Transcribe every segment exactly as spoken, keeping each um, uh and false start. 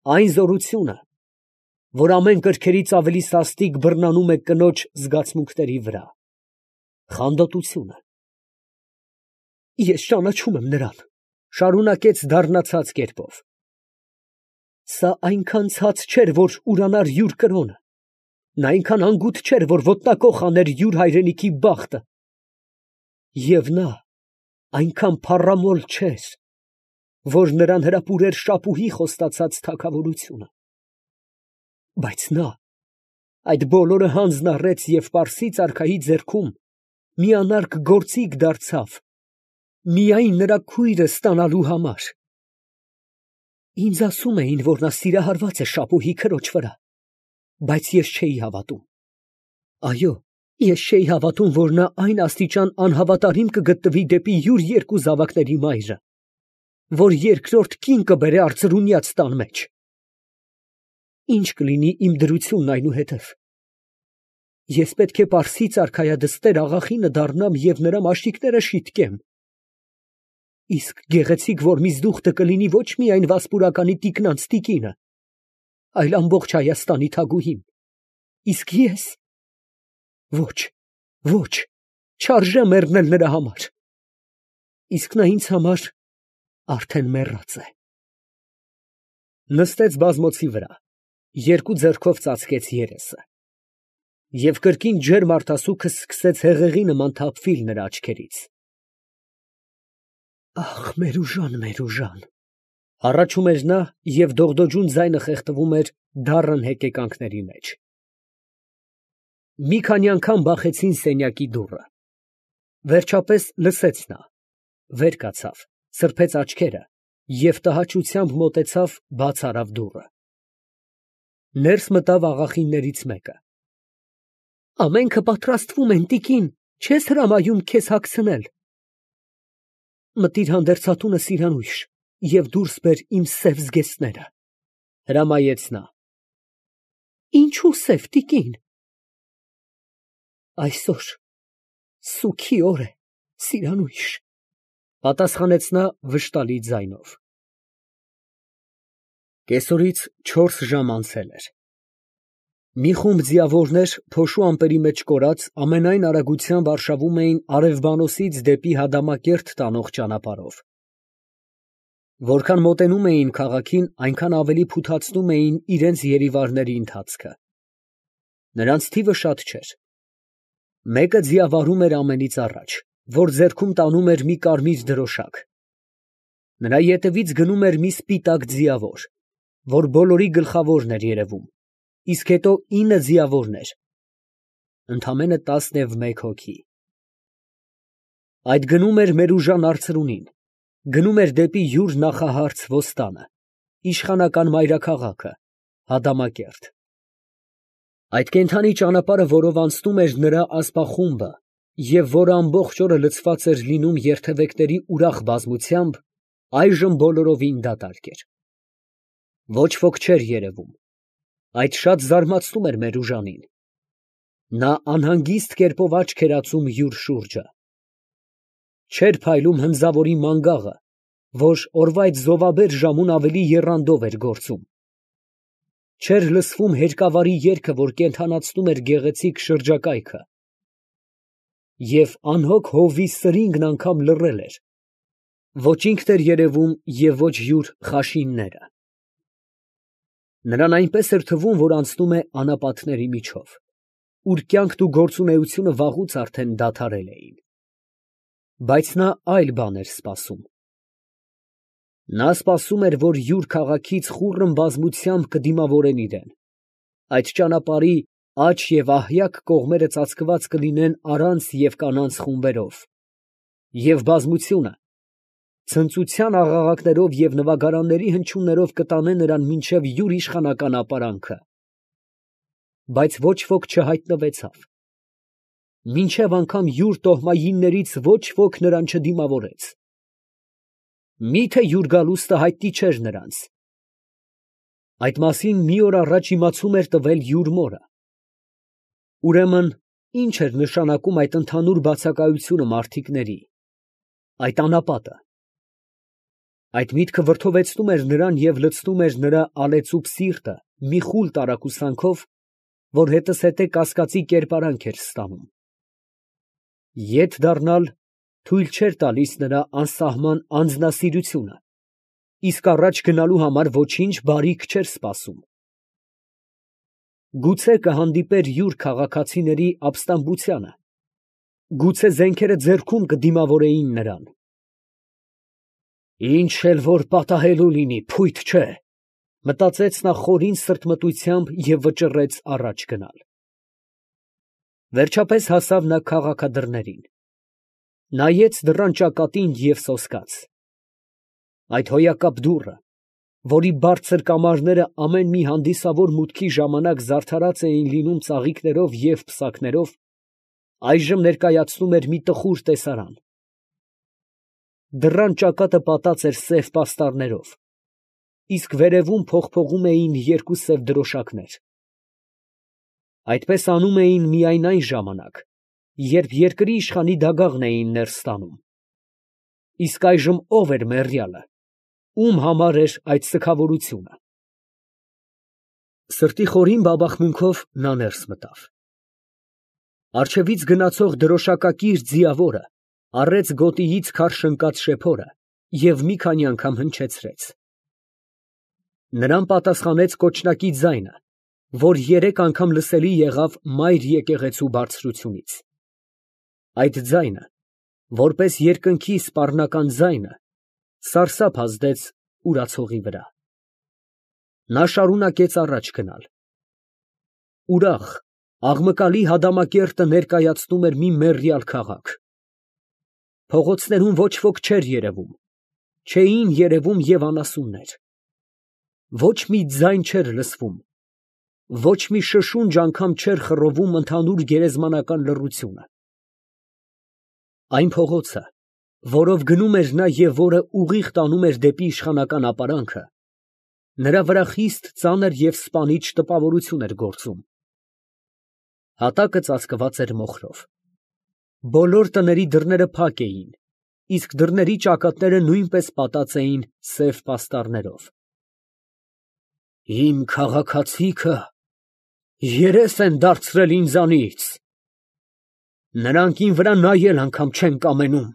Այն զորությունը, որ ամեն կրքերից ավելի սաստիկ բռնանում է կնոջ զգացմունքների վրա, խանդոտությունը։ Ես ճանաչում եմ նրան, ֊ շարունակեց դառնացած կերպով. սա այնքան ցած չէր, որ ուրանար յուր կրոնը, նա այնքան անգութ չէր, որ ոտնակոխ աներ յուր հայրենիքի բախտը, և նա այնքան փառամոլ չէր, որ նրան հրապուրեր շապուհի խոստացած թագավորությունը, բայց նա այդ բոլորը հանձն առեց և պարսից արքայի ձեռքում մի անարգ գործիք դարձավ միայն նրա քույրը ստանալու համար։ Ինձ ասում էին, որ նա սիրահարված է շապուհի քրոջ վրա, բայց ես չէի հավատում։ Այո, ես չէի հավատում, որ նա այն աստիճան անհավատարիմ կգտնվի դեպի յուր երկու զավակների մայրը, որ երկրորդ կին կբերե արծրունյաց տան մեջ։ Ի՞նչ կլինի իմ դրությունն այնուհետև։ Ես պետք է պարսից արքայադստեր աղախինը դառնամ և նրա մաշիկները շիտկեմ։ Իսկ գեղեցիկ Որմիզդուխտը կլինի ոչ միայն Վասպուրականի տիկնանց տիկինը, այլ ամբողջ Հայաստանի թագուհին, իսկ ես… Ոչ, ոչ, չարժե մեռնել նրա համար, իսկ նա ինձ համար արդեն մեռած է։ Նստեց բազմոցի վրա, երկու ձեռքով ծածկեց երեսը, և կրկին ջերմ արտասուքը սկսեց հեղեղի նման թափվել նրա աչքերից։ Ախ, Մերուժան, Մերուժան… հառաչում էր նա, և դողդոջուն ձայնը խեղդվում էր դառն հեկեկանքների մեջ։ Մի քանի անգամ բախեցին սենյակի դուռը, վերջապես լսեց նա, վեր կացավ, սրբեց աչքերը և տհաճությամբ մոտեցավ, բաց արավ դուռը։ Ներս մտավ աղախիններից մեկը։ Ամենքը պատրաստվում են, տիկին, չե՞ս հրամայում քեզ հագցնել։ Մտիր հանդերձատունը, Սիրանույշ, և դուրս բեր իմ սև զգեստները, ֊ հրամայեց նա։ Ինչո՞ւ սև, տիկին։ Այսօր սուգի օր է, Սիրանույշ, ֊ պատասխանեց նա վշտալի ձայնով։ Կեսօրից չորս ժամ անցել էր։ Մի խումբ ձիավորներ, փոշու ամպերի մեջ կորած, ամենայն արագությամբ արշավում էին Արևբանոսից դեպի Հադամակերտ տանող ճանապարհով։ Որքան մոտենում էին քաղաքին, այնքան ավելի փութացնում էին իրենց երիվարների ընթացքը։ Նրանց թիվը շատ չէր։ Մեկը ձիավարում էր ամենից առաջ, որ ձեռքում տանում էր մի կարմիր դրոշակ։ Նրա ետևից գնում էր մի սպիտակ ձիավոր, որ բոլորի գլխավորն էր երևում, իսկ հետո ինը ձիավորներ, ընդամենը տասնևմեկ հոգի։ Այդ գնում էր Մերուժան արծրունին, գնում էր դեպի յուր նախահարց Ոստանը, իշխանական մայրաքաղաքը, Հադամակերտ։ Այդ կենդանի ճանապարհը, որով անցնում էր նրա ասպախումբը, և որը ամբողջ օրը լցված էր լինում երթևեկների ուրախ բազմությամբ, այժմ բոլորովին դատարկ էր։ Ոչ ոք չէր երևում։ Այդ շատ զարմացնում էր Մերուժանին։ Նա անհանգիստ կերպով աչք էր ածում յուր շուրջը։ Չէր փայլում հնձավորի մանգաղը, որ օրվա այդ զովաբեր ժամուն ավելի եռանդով էր գործում։ Չէր լսվում հերկավարի երգը, որ կենդանացնում էր գեղեցիկ շրջակայքը։ Եվ անհոգ հովվի սրինգն անգամ լռել էր, ոչ ինքն էր երևում և ոչ յուր խաշինները։ Նրան այնպես էր թվում, որ անցնում է անապատների միջով, ուր կյանքն ու գործունեությունը վաղուց արդեն դադարել էին։ Բայց նա այլ բան էր սպասում։ Նա սպասում էր, որ յուր քաղաքից խուռն բազմությամբ կդիմավորեն իրան, այդ ճանապարհի աջ և ահյակ կողմերը ծածկված կլինեն առանց և կանանց խումբերով, և բազմությունը ցնծության աղաղակներով և նվագարանների հնչյուններով կտանե նրան մինչև յուր իշխանական ապարանքը։ Բայց ոչ ոք չհայտնվեցավ։ Մինչև անգամ յուր տոհմայիններից ոչ ոք նրան չդիմավորեց։ Մի՞թե յուր գալուստը հայտնի չէր նրանց։ Այդ մասին մի օր առաջ իմացում էր տվել յուր մորը։ Ուրեմն ի՞նչ էր նշանակում այդ ընդհանուր բացակայությունը մարդիկների, այդ անապատը։ Այդ միտքը վրդովեցնում էր նրան և լցնում էր նրա ալեծուփ սիրտը մի խուլ տարակուսանքով, որ հետզհետե կասկածի կերպարանք էր ստանում։ Ետ դառնալ թույլ չէր տալիս նրա անսահման անձնասիրությունը, իսկ առաջ գնալու համար ոչինչ բարիք չէր սպասում։ Գուցե կհանդիպեր յուր քաղաքացիների ապստամբությանը, գուցե զենքերը ձեռքում կդիմավորեին նրան։ Ինչ էլ որ պատահելու լինի, փույթ չէ, մտածեց նա խորին սրտմտությամբ և վճռեց առաջ գնալ։ Վերջապես հասավ նա քաղաքադռներին, նայեց դռան ճակատին և սոսկաց։ Այդ հոյակապ դուռը, որի բարձր կամարները ամեն մի հանդիսավոր մուտքի ժամանակ զարդարած էին լինում ծաղիկներով և պսակներով, այժմ ներկայացնում էր մի տխուր տեսարան։ Դռան ճակատը պատած էր սև պաստառներով, իսկ վերևում փողփողում էին երկու սև դրոշակներ։ Այդպես անում էին միայն այն ժամանակ, երբ երկրի իշխանի դագաղն էին ներս տանում։ Իսկ այժմ ո՞վ էր մեռյալը, ում համար էր այդ սգավորությունը։ Սրտի խորին բաբախմունքով նա ներս մտավ։ Առջևից գնացող դրոշակակիր ձիավորը առեց գոտիից քարշ ընկած շեփորը և մի քանի անգամ հնչեցրեց։ Նրան պատասխանեց կոչնակի ձայնը, որ երեք անգամ լսելի եղավ մայր եկեղեցու բարձրությունից։ Այդ ձայնը, որպես երկնքի սպառնական ձայնը, սարսափ ազդեց ուրացողի վրա։ Նա շարունակեց առաջ գնալ։ Ուրախ, աղմկալի հադամակերտը ներկայացնում էր մի մեռյալ քաղաք։ Փողոցներում ոչ ոք չէր երևում, չէին երևում և անասուններ։ Ոչ մի ձայն չէր լսվում, ոչ մի շշունջ անգամ չէր խռովում ընդհանուր գերեզմանական լռությունը։ Այն փողոցը, որով գնում էր նա և որը ուղիղ տանում էր դեպի իշխանական ապարանքը, նրա վրա խիստ ծանր և սպանիչ տպավորություն էր գործում։ Հատակը ծածկված էր մոխրով։ Բոլոր տների դռները փակ էին, իսկ դռների ճակատները նույնպես պատած էին սև պաստառներով։ Իմ քաղաքացիքը երես են դարձրել ինձանից, նրանք իմ վրա նայել անգամ չեն կամենում,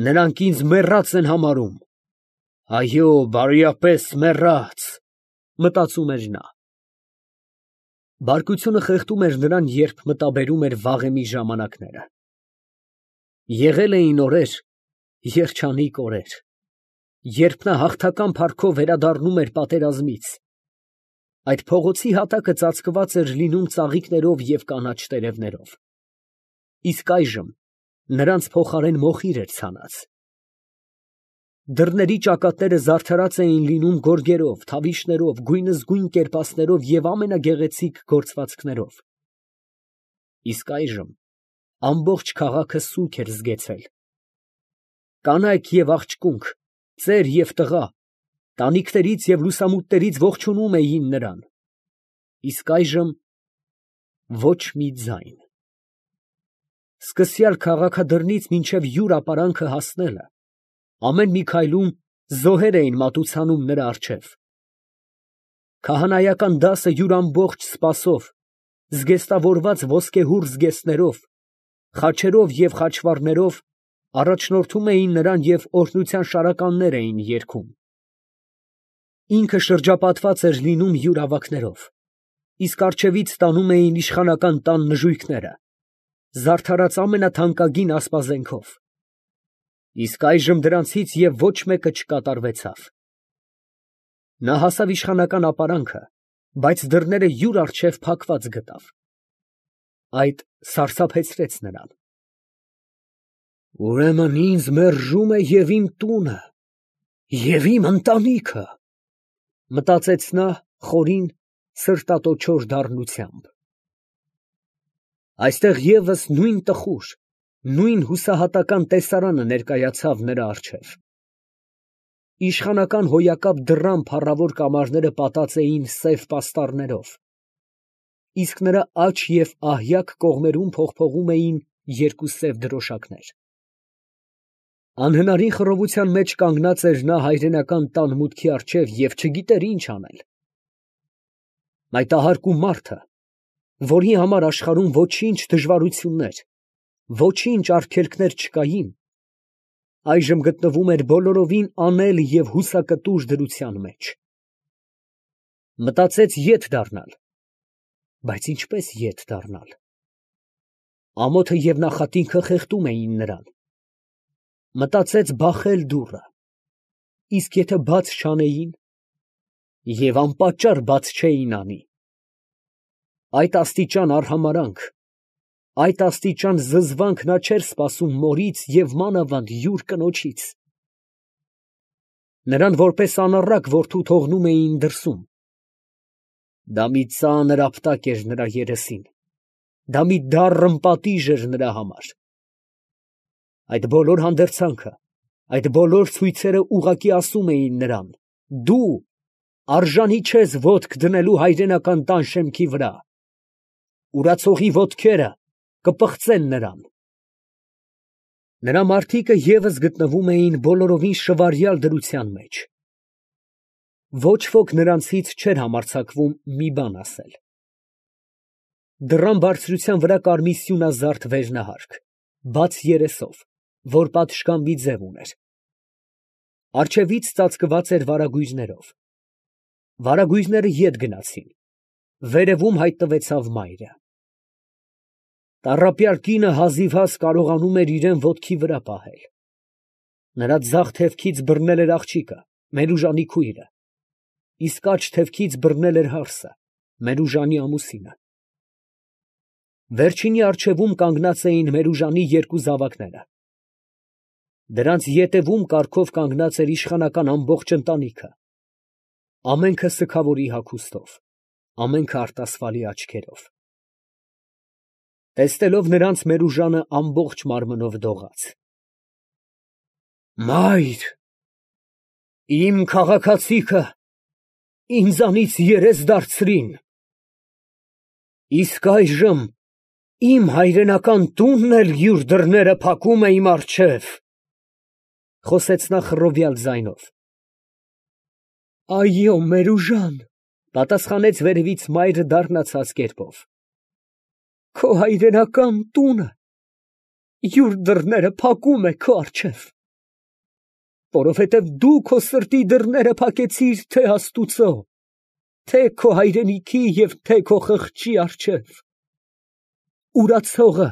նրանք ինձ մեռած են համարում, այո, բարյապես մեռած, մտածում էր նա։ Բարկությունը խեղդում էր նրան, երբ մտաբերում էր վաղեմի ժամանակները։ Եղել էին օրեր, երջանիկ օրեր, երբ նա հաղթական փառքով վերադառնում էր պատերազմից, այդ փողոցի հատակը ծածկված էր լինում ծաղիկներով և կանաչ տերևներով, իսկ այժմ նրանց փոխարեն մոխիր էր ցանած։ Դռների ճակատները զարդարած էին լինում գորգերով, թավիշներով, գույնզգույն կերպասներով և ամենագեղեցիկ գործվածքներով, իսկ այժմ ամբողջ քաղաքը սուգ էր զգեցել։ Կանայք և աղջկունք, ծեր և տղա, տանիքներից և լուսամուտներից ողջունում էին նրան, իսկ այժմ ոչ մի ձայն։ Սկսյալ քաղաքադռնից մինչև յուր ապարանքը հասնելը, ամեն մի քայլում զոհեր էին մատուցանում նրա առջև։ Քահանայական դասը յուր ամբողջ սպասով, զգեստավորված ոսկեհուռ զգեստներով, խաչերով և խաչվառներով առաջնորդում էին նրան և օրհնության շարականներ էին երգում։ Ինքը շրջապատված էր լինում յուր ավագներով, իսկ առջևից տանում էին իշխանական տան նժույգները, զարդարած ամենաթանկագին ասպազենքով, իսկ այժմ դրանցից և ոչ մեկը չկատարվեցավ։ Նա հասավ իշխանական ապարանքը, բայց դռները յուր առջև փակված գտավ։ Այդ սարսափեցրեց նրան։ Ուրեմն ինձ մերժում է և իմ տունը, և իմ ընտանիքը, մտածեց նա խորին սրտատոչոր դառնությամբ։ Այստեղ ևս նույն տխուր, նույն հուսահատական տեսարանը ներկայացավ նրա առջև։ Իշխանական հոյակապ դռան փառավոր կամարները պատած էին սև պաստառներով, իսկ նրա աջ և ահյակ կողմերում փողփողում էին երկու սև դրոշակներ։ Անհնարին խռովության մեջ կանգնած էր նա հայրենական տան մուտքի առջև և չգիտեր ինչ անել։ Մայթահարկու մարդը, որի համար աշխարհում ոչինչ դժվարություններ, ոչինչ արգելքներ չկային, այժմ գտնվում էր բոլորովին անել և հուսակտուր դրության մեջ։ Մտածեց ետ դառնալ, բայց ինչպես ետ դառնալ։ Ամոթը և նախատինքը խեղդում էին նրան։ Մտածեց բախել դուռը, իսկ եթե բաց չանեին, և անպատճառ բաց չէին անի, այդ աստիճան արհամարհանք, այդ աստիճան զզվանք նա չէր սպասում մորից և մանավանդ յուր կնոջից։ Նրան որպես անառակ որդու թողնում էին դրսում։ Դա մի ծանր ապտակ էր նրա երեսին, դա մի դառն պատիժ էր նրա համար։ Այդ բոլոր հանդերձանքը, այդ բոլոր ցույցերը ուղղակի ասում էին նրան. դու արժանի չես ոտք դնելու հայրենական տան շեմքի վրա, ուրացողի ոտքերը կպղծեն նրան։ Նրա մարդիկը ևս գտնվում էին բոլորովին շվարյալ դրության մեջ։ Ոչ ոք նրանցից չէր համարձակվում մի բան ասել։ Դռան բարձրության վրա կար մի սյունազարդ վերնահարկ, բաց երեսով, որ պատշգամբի ձև ուներ։ Առջևից ծածկված էր վարագույրներով։ Վարագույրները ետ գնացին, վերևում հայտնվեցավ մայրը։ Տառապյալ կինը հազիվհազ կարողանում էր իրան ոտքի վրա պահել։ Նրա ձախ թևքից բռնել էր աղջիկը, Մերուժանի քույրը, իսկ աջ թևքից բռնել էր հարսը, Մերուժանի ամուսինը։ Վերջինի առջևում կանգնած էին Մերուժանի երկու զավակները։ Դրանց ետևում կարգով կանգնած էր իշխանական ամբողջ ընտանիքը, ամենքը սգավորի հագուստով, ամենքը արտասվալի աչքերով։ Տեսնելով նրանց, Մերուժանը ամբողջ մարմնով դողաց։ Մայր, իմ քաղաքացիքը ինձանից երես դարձրին, իսկ այժմ իմ հայրենական տունն էլ յուր դռները փակում է իմ առջև, խոսեց նա խռովյալ ձայնով։ Այո, Մերուժան, պատասխանեց վերևից մայրը դառնացած կերպով, քո հայրենական տունը յուր դռները փակում է քո առջև, որովհետև դու քո սրտի դռները փակեցիր թե Աստուծո, թե քո հայրենիքի և թե քո խղճի առջև։ Ուրացողը,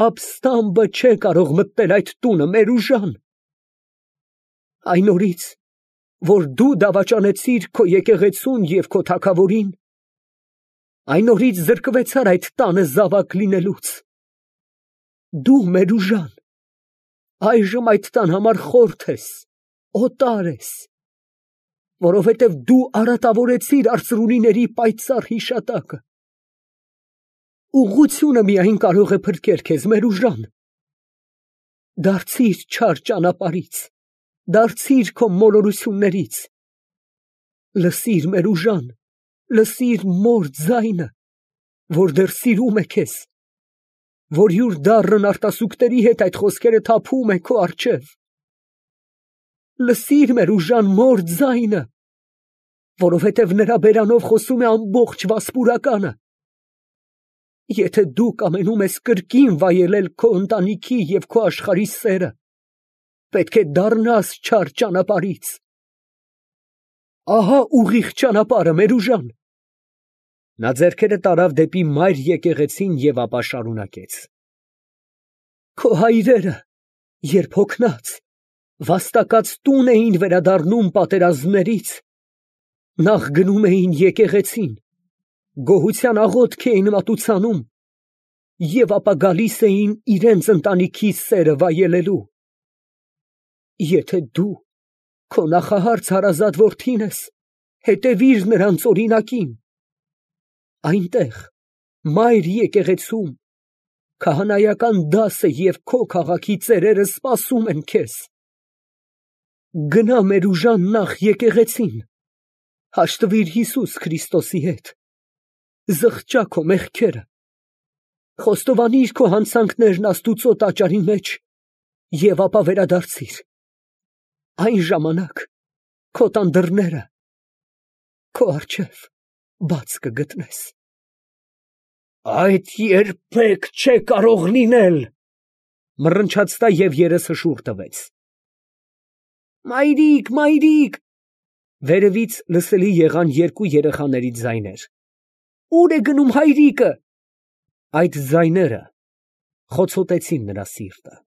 ապստամբը չէ կարող մտնել այդ տունը, Մերուժան։ Այն օրից, որ դու դավաճանեցիր քո եկեղեցուն և քո թագավորին, այն օրից զրկվեցար այդ տանը զավակ լինելուց։ Դու, Մերուժան, այժմ այդ տան համար խորթ ես, օտար ես, որովհետև դու արատավորեցիր արծրունիների պայծառ հիշատակը։ Ուղղությունը միայն կարող է փրկել քեզ, Մերուժան։ Դարձիր չար ճանապարհից, դարձիր քո մոլորություններից։ Լսիր, Մերուժան, լսիր մոր ձայնը, որ դեռ սիրում է քեզ, որ յուր դառն արտասուքների հետ այդ խոսքերը թափում է քո առջև։ Լսիր, Մերուժան, մոր ձայնը, որովհետև նրա բերանով խոսում է ամբողջ Վասպուրականը։ Եթե դու կամենում ես կրկին վայելել քո ընտանիքի և քո աշխարհի սերը, պետք է դառնաս չար ճանապարհից։ Ահա ուղիղ ճանապարհը, Մերուժան։ Նա ձեռքերը տարավ դեպի մայր եկեղեցին և ապա շարունակեց. Քո հայրերը, երբ հոգնած, վաստակած տուն էին վերադառնում պատերազմներից, նախ գնում էին եկեղեցին, գոհության աղոթք էին մատուցանում և ապա գալիս էին իրենց ընտանիքի սերը վայելելու։ Եթե դու քո նախահարց հարազատ որդին ես, հետևիր նրանց օրինակին։ Այնտեղ, մայր եկեղեցում, քահանայական դասը և քո քաղաքի ծերերը սպասում են քեզ։ Գնա, Մերուժան, նախ եկեղեցին, հաշտվիր Հիսուս Քրիստոսի հետ, զղջա քո մեղքերը, խոստովանիր քո հանցանքներն Աստուծո տաճարի մեջ Եվ ապա վերադարձիր, այն ժամանակ քո տան դռները քո առջև բաց կգտնես։ Այդ երբեք չէ կարող լինել, մռնչաց նա և երեսը շուռ տվեց։ Մայրիկ, մայրիկ, վերևից լսելի եղան երկու երեխաների ձայներ։ Ո՞ւր է գնում հայրիկը։ Այդ ձայները խոցոտեցին նրա սիրտը։